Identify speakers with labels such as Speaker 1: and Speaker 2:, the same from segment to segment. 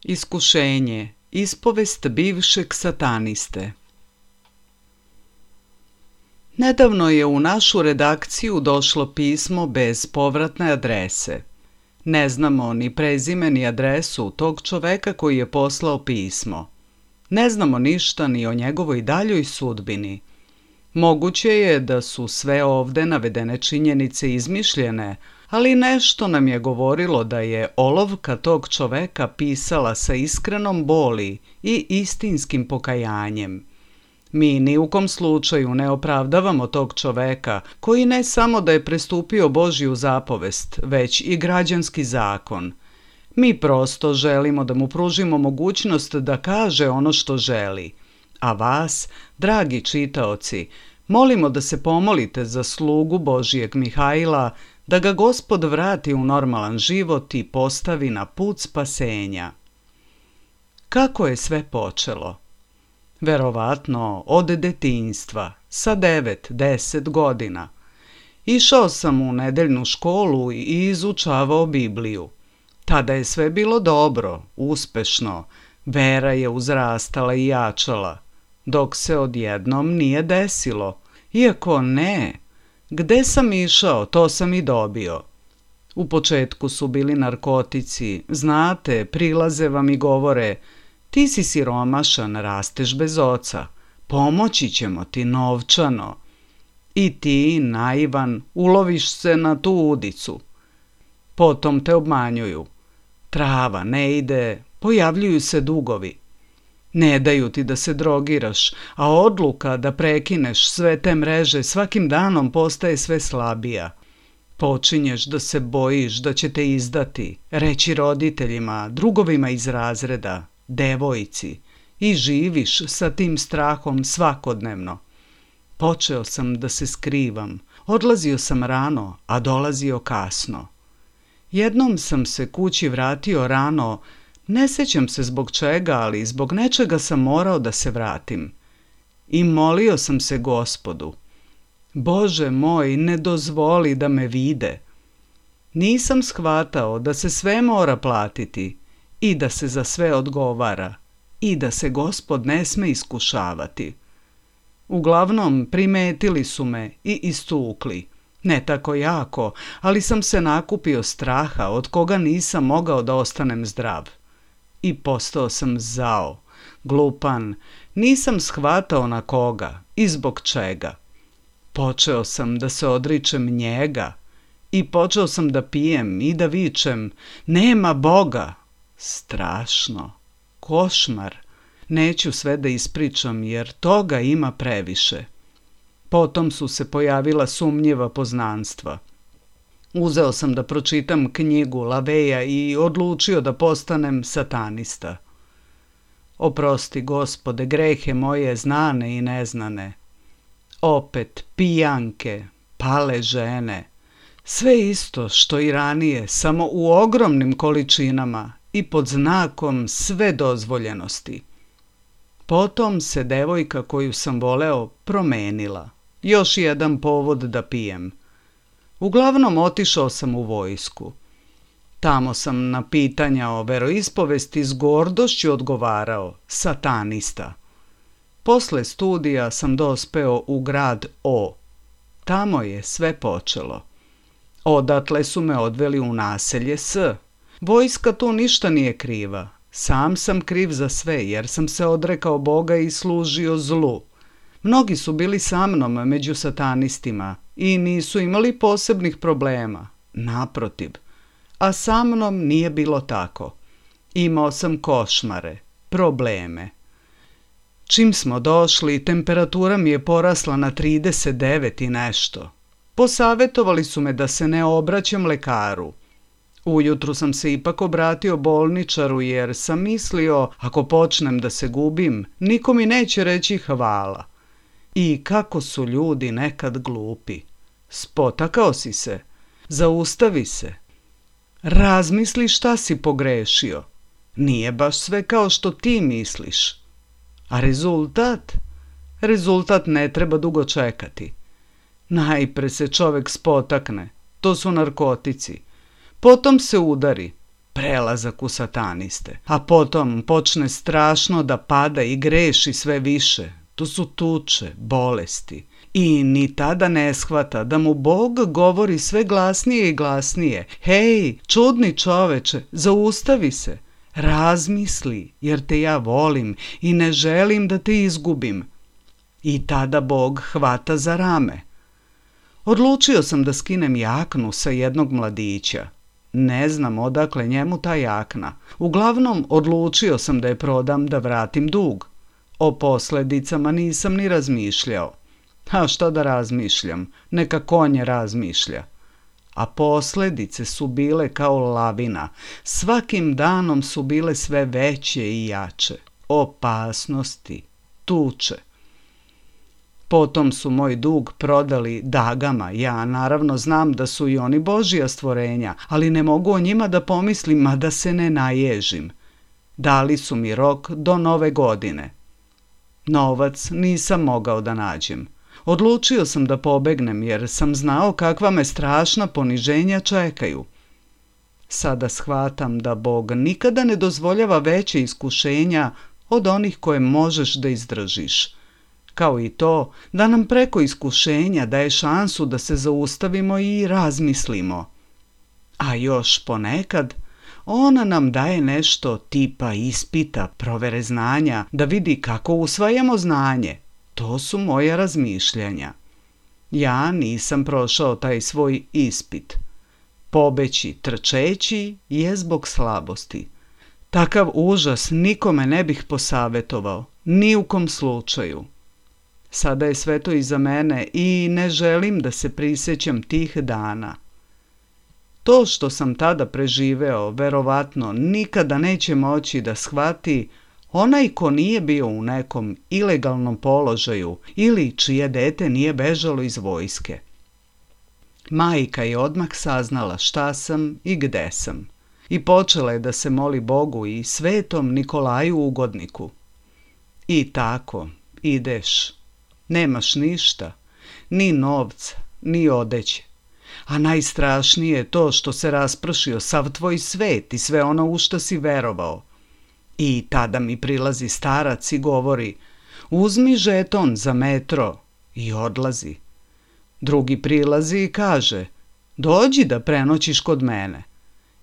Speaker 1: Iskušenje. Ispovest bivšeg sataniste. Nedavno je u našu redakciju došlo pismo bez povratne adrese. Ne znamo ni prezime ni adresu tog čoveka koji je poslao pismo. Ne znamo ništa ni o njegovoj daljoj sudbini. Moguće je da su sve ovde navedene činjenice izmišljene, ali nešto nam je govorilo da je olovka tog čoveka pisala sa iskrenom boli i istinskim pokajanjem. Mi ni u kom slučaju ne opravdavamo tog čoveka koji ne samo da je prestupio Božju zapovest, već i građanski zakon. Mi prosto želimo da mu pružimo mogućnost da kaže ono što želi. A vas, dragi čitaoci, molimo da se pomolite za slugu Božijeg Mihajla, da ga Gospod vrati u normalan život i postavi na put spasenja. Kako je sve počelo? Verovatno od detinjstva, sa 9-10 godina. Išao sam u nedeljnu školu i izučavao Bibliju. Tada je sve bilo dobro, uspešno, vera je uzrastala i jačala, dok se odjednom nije desilo. Iako ne, gde sam išao, to sam i dobio. U početku su bili narkotici, znate, prilaze vam i govore: ti si siromašan, rasteš bez oca, pomoći ćemo ti novčano. I ti, naivan, uloviš se na tu udicu. Potom te obmanjuju. Trava ne ide, pojavljuju se dugovi. Ne daju ti da se drogiraš, a odluka da prekineš sve te mreže svakim danom postaje sve slabija. Počinješ da se bojiš da će te izdati, reći roditeljima, drugovima iz razreda, devojci, i živiš sa tim strahom svakodnevno. Počeo sam da se skrivam, odlazio sam rano, a dolazio kasno. Jednom sam se kući vratio rano, ne sećam se zbog čega, ali zbog nečega sam morao da se vratim. I molio sam se Gospodu: Bože moj, ne dozvoli da me vide. Nisam shvatao da se sve mora platiti i da se za sve odgovara i da se Gospod ne sme iskušavati. Uglavnom, primetili su me i istukli. Ne tako jako, ali sam se nakupio straha od koga nisam mogao da ostanem zdrav. I postao sam zao, glupan, Nisam shvatao na koga i zbog čega. Počeo sam da se odričem njega i počeo sam da pijem i da vičem: nema Boga! Strašno, košmar. Neću sve da ispričam jer toga ima previše. Potom su se pojavila sumnjiva poznanstva. Uzeo sam da pročitam knjigu Laveja i odlučio da postanem satanista. Oprosti, Gospode, grehe moje znane i neznane. Opet pijanke, pale žene, sve isto što i ranije, samo u ogromnim količinama i pod znakom sve dozvoljenosti. Potom se devojka koju sam voleo promenila. Još jedan povod da pijem. Uglavnom otišao sam u vojsku. Tamo sam na pitanja o veroispovesti s gordošću odgovarao: satanista. Posle studija sam dospeo u grad O. Tamo je sve počelo. Odatle su me odveli u naselje S. Vojska tu ništa nije kriva. Sam sam kriv za sve jer sam se odrekao Boga i služio zlu. Mnogi su bili sa mnom među satanistima i nisu imali posebnih problema. Naprotiv. A sa mnom nije bilo tako. Imao sam košmare, probleme. Čim smo došli, temperatura mi je porasla na 39 i nešto. Posavetovali su me da se ne obraćam lekaru. Ujutru sam se ipak obratio bolničaru jer sam mislio, ako počnem da se gubim, niko mi neće reći hvala. I kako su ljudi nekad glupi. Spotakao si se, zaustavi se. Razmisli šta si pogrešio. Nije baš sve kao što ti misliš. A rezultat? Rezultat ne treba dugo čekati. Najpre se čovek spotakne, to su narkotici. Potom se udari, prelazak u sataniste. A potom počne strašno da pada i greši sve više. To su tuče, bolesti. I ni tada ne shvata da mu Bog govori sve glasnije i glasnije: hej, čudni čoveče, zaustavi se, razmisli, jer te ja volim i ne želim da te izgubim. I tada Bog hvata za rame. Odlučio sam da skinem jaknu sa jednog mladića. Ne znam odakle njemu ta jakna. Uglavnom, odlučio sam da je prodam da vratim dug. O posledicama nisam ni razmišljao. A šta da razmišljam? Neka konje razmišlja. A posljedice su bile kao lavina. Svakim danom su bile sve veće i jače. Opasnosti, tuče. Potom su moj dug prodali dagama. Ja naravno znam da su i oni Božja stvorenja, ali ne mogu o njima da pomislim, a da se ne naježim. Dali su mi rok do Nove godine. Novac nisam mogao da nađem. Odlučio sam da pobegnem jer sam znao kakva me strašna poniženja čekaju. Sada shvatam da Bog nikada ne dozvoljava veće iskušenja od onih koje možeš da izdržiš. Kao i to da nam preko iskušenja daje šansu da se zaustavimo i razmislimo. A još ponekad ona nam daje nešto tipa ispita, provere znanja, da vidi kako usvajamo znanje. To su moja razmišljanja. Ja nisam prošao taj svoj ispit. Pobeći trčeći je zbog slabosti. Takav užas nikome ne bih posavetovao, ni u kom slučaju. Sada je sve to iza mene i ne želim da se prisjećam tih dana. To što sam tada preživeo, verovatno nikada neće moći da shvati onaj ko nije bio u nekom ilegalnom položaju ili čije dete nije bežalo iz vojske. Majka je odmah saznala šta sam i gde sam i počela je da se moli Bogu i svetom Nikolaju Ugodniku. I tako ideš, nemaš ništa, ni novca, ni odeće. A najstrašnije je to što se raspršio sav tvoj svet i sve ono u što si verovao. I tada mi prilazi starac i govori: uzmi žeton za metro, i odlazi. Drugi prilazi i kaže: dođi da prenoćiš kod mene.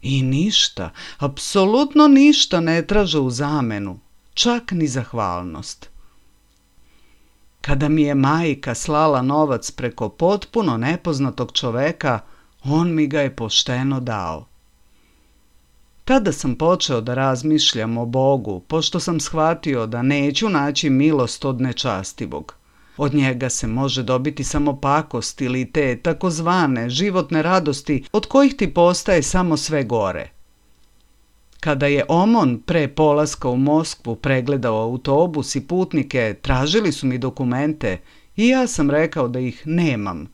Speaker 1: I ništa, apsolutno ništa ne traže u zamenu, čak ni zahvalnost. Kada mi je majka slala novac preko potpuno nepoznatog čoveka, on mi ga je pošteno dao. Tada sam počeo da razmišljam o Bogu, pošto sam shvatio da neću naći milost od nečastivog. Od njega se može dobiti samo pakost ili te takozvane životne radosti od kojih ti postaje samo sve gore. Kada je Omon pre polaska u Moskvu pregledao autobus i putnike, tražili su mi dokumente i ja sam rekao da ih nemam.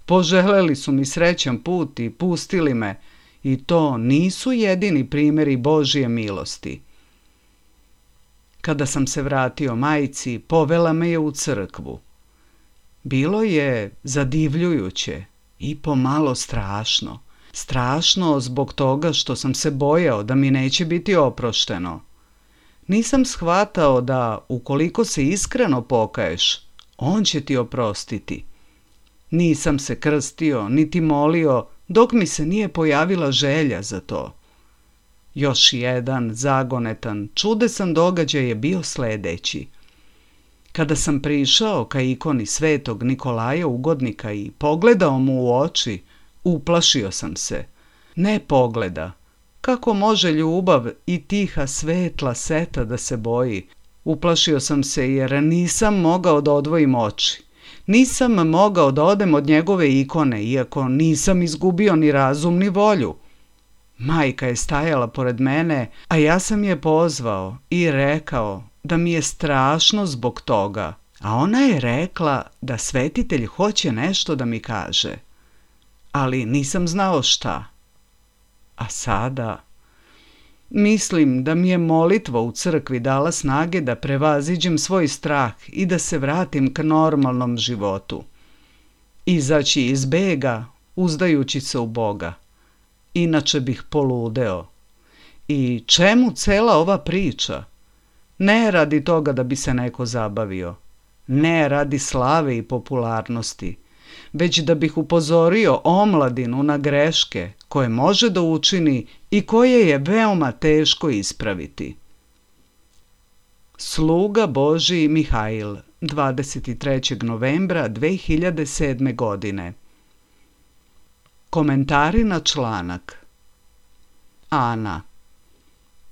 Speaker 1: Poželjeli su mi srećan put i pustili me, i to nisu jedini primjeri Božje milosti. Kada sam se vratio majci, povela me je u crkvu. Bilo je zadivljujuće i pomalo strašno. Strašno zbog toga što sam se bojao da mi neće biti oprošteno. Nisam shvatao da ukoliko se iskreno pokaješ, on će ti oprostiti. Nisam se krstio niti molio dok mi se nije pojavila želja za to. Još jedan zagonetan, čudesan događaj je bio sljedeći. Kada sam prišao ka ikoni svetog Nikolaja Ugodnika i pogledao mu u oči, uplašio sam se. Ne pogleda. Kako može ljubav i tiha svetla seta da se boji? Uplašio sam se jer nisam mogao da odvojim oči. Nisam mogao da odem od njegove ikone, iako nisam izgubio ni razum ni volju. Majka je stajala pored mene, a ja sam je pozvao i rekao da mi je strašno zbog toga. A ona je rekla da svetitelj hoće nešto da mi kaže. Ali nisam znao šta. A sada mislim da mi je molitva u crkvi dala snage da prevaziđem svoj strah i da se vratim k normalnom životu. Izaći iz bega, uzdajući se u Boga. Inače bih poludeo. I čemu cela ova priča? Ne radi toga da bi se neko zabavio. Ne radi slave i popularnosti. Već da bih upozorio omladinu na greške koje može da učini i koje je veoma teško ispraviti. Sluga Božji Mihail, 23. novembra 2007. godine. Komentari na članak. Ana.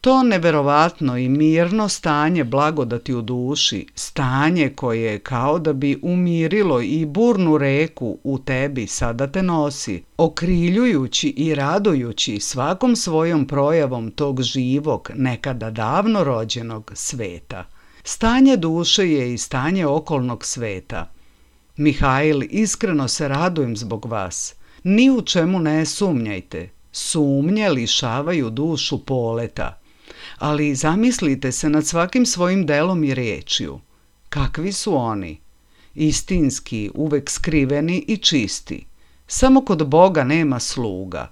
Speaker 1: To neverovatno i mirno stanje blagodati u duši, stanje koje kao da bi umirilo i burnu reku u tebi sada te nosi, okriljujući i radujući svakom svojom projavom tog živog, nekada davno rođenog sveta. Stanje duše je i stanje okolnog sveta. Mihail, iskreno se radujem zbog vas. Ni u čemu ne sumnjajte. Sumnje lišavaju dušu poleta. Ali zamislite se nad svakim svojim delom i riječju. Kakvi su oni? Istinski, uvek skriveni i čisti. Samo kod Boga nema sluga.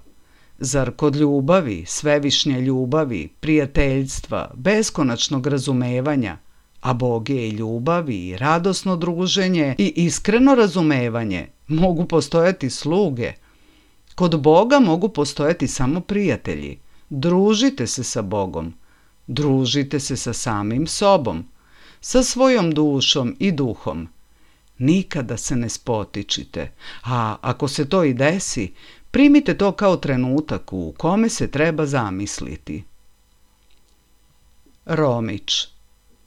Speaker 1: Zar kod ljubavi, svevišnje ljubavi, prijateljstva, beskonačnog razumevanja, a Bog je i ljubav i radosno druženje i iskreno razumevanje, mogu postojati sluge? Kod Boga mogu postojati samo prijatelji. Družite se sa Bogom. Družite se sa samim sobom, sa svojom dušom i duhom. Nikada se ne spotičite, a ako se to i desi, primite to kao trenutak u kome se treba zamisliti. Romić.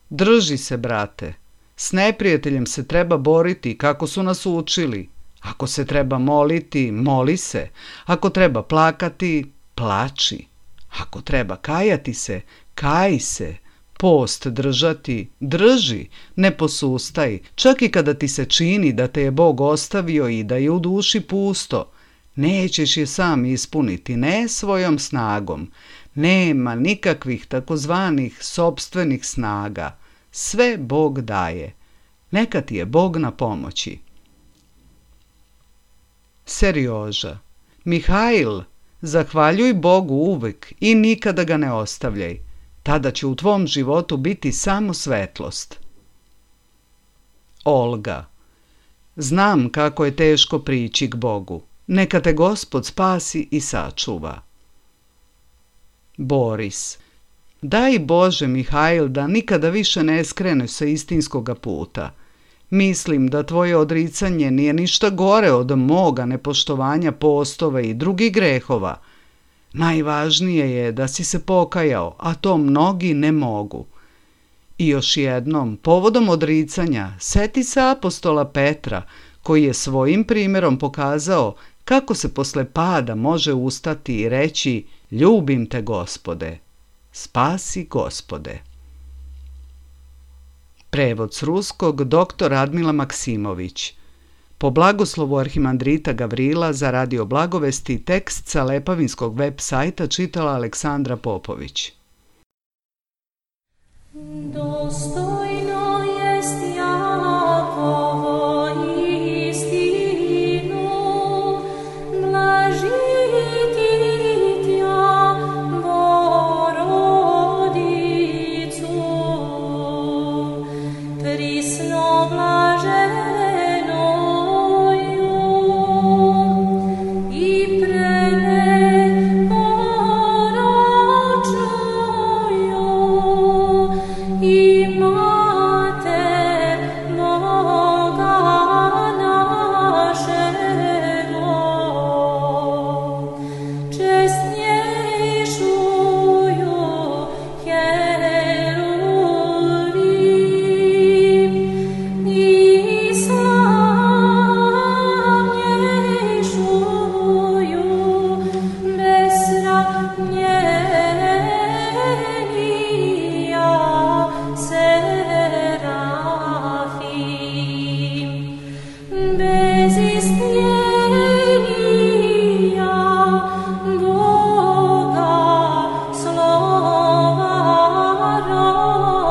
Speaker 1: Drži se, brate. S neprijateljem se treba boriti kako su nas učili. Ako se treba moliti, moli se. Ako treba plakati, plači. Ako treba kajati se, kaj se. Post držati, drži, ne posustaj, čak i kada ti se čini da te je Bog ostavio i da je u duši pusto. Nećeš je sam ispuniti, ne svojom snagom. Nema nikakvih takozvanih sopstvenih snaga. Sve Bog daje. Neka ti je Bog na pomoći. Serioža. Mihail, zahvaljuj Bogu uvek i nikada ga ne ostavljaj. Tada će u tvom životu biti samo svetlost. Olga. Znam kako je teško prići k Bogu. Neka te Gospod spasi i sačuva. Boris. Daj Bože, Mihail, da nikada više ne skreneš sa istinskoga puta. Mislim da tvoje odricanje nije ništa gore od moga nepoštovanja postova i drugih grehova. Najvažnije je da si se pokajao, a to mnogi ne mogu. I još jednom, povodom odricanja, seti se apostola Petra, koji je svojim primjerom pokazao kako se posle pada može ustati i reći: ljubim te, Gospode, spasi, Gospode. Prevod s ruskog dr. Radmila Maksimović. Po blagoslovu arhimandrita Gavrila za Radio Blagovesti tekst sa Lepavinskog web sajta čitala Aleksandra Popović.
Speaker 2: Dostojno jest Jakovo istinu, blažiti tja Borodicu, prisno blaženoju i preneporočnoju i Mater Boga našego, česnjejšuju Jerulim i slavnjejšuju besramljenija Serafim, bez istnjenija Boga slova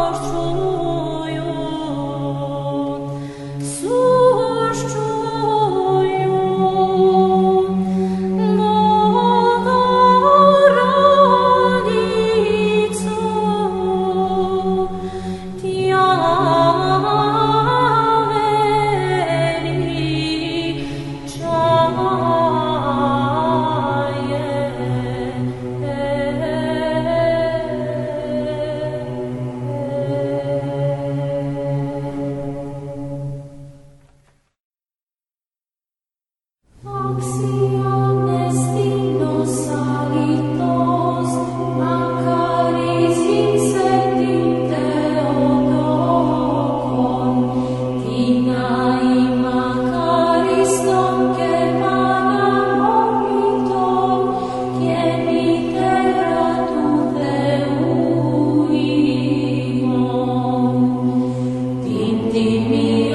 Speaker 2: roščuju, suščuju Bogorodicu, tja Axiom destinos salitos, acaris incendim Theotokon, Tinae macaris nonque panem oblitom, Cienitera tu Theuimon, Tintimia